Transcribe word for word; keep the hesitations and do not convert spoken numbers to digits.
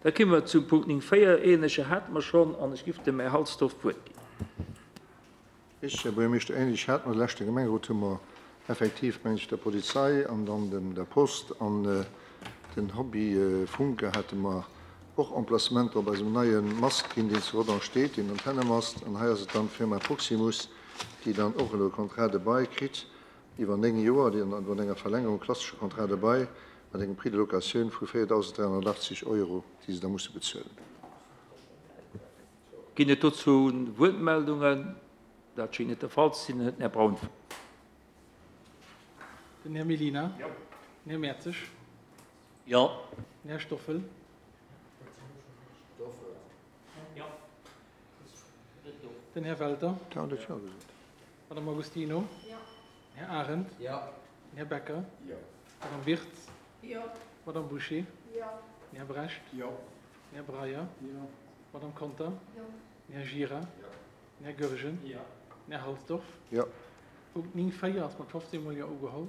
Da komme mer zum Punkt néng véier. Ähnleche hate mer schonn an ech giff dem Här Halsdorf d'Wuert ginn. Richtig, Här Buergermeeschter, ähnlech hate mer de leschte Gemengerot, hu mer effektiv, meng ech, der Polizei an dann dem der Post an den Hobbyfunker hate mer och Emplacementer op eisem neie Mast ginn, deen zu Rodange steet, deen Antennemast. An hei ass et dann d'Firma Proximus, déi dann och elo e Contrat de bail kritt iwwer néng Joer, déi dann mat enger Verlängerung, klassesche Contrat de bail, mat engem Prix de locatioun vu véierdausend dräihonnertachtzeg Euro, déi se da musse bezuelen. Ginn et dozou Wuertmeldungen? Dat schéngt net de Fall ze sinn. Dann huet den Här Braun d'Wuert. Den Här Mellina. Den Här Mertzig. Jo. Den Här Stoffel. Den Här Welter. Madame Agostino. Den Här Arendt. Den Här Becker. Madame Wirtz. Madame Bouché. Den Här Brecht. Den Här Breyer. Madame Conter. Den Här Gira. Den Här Goergen. Den Här Halsdorf. Jo. Punkt néng véier ass mat fofzéng Mol Jo ugeholl.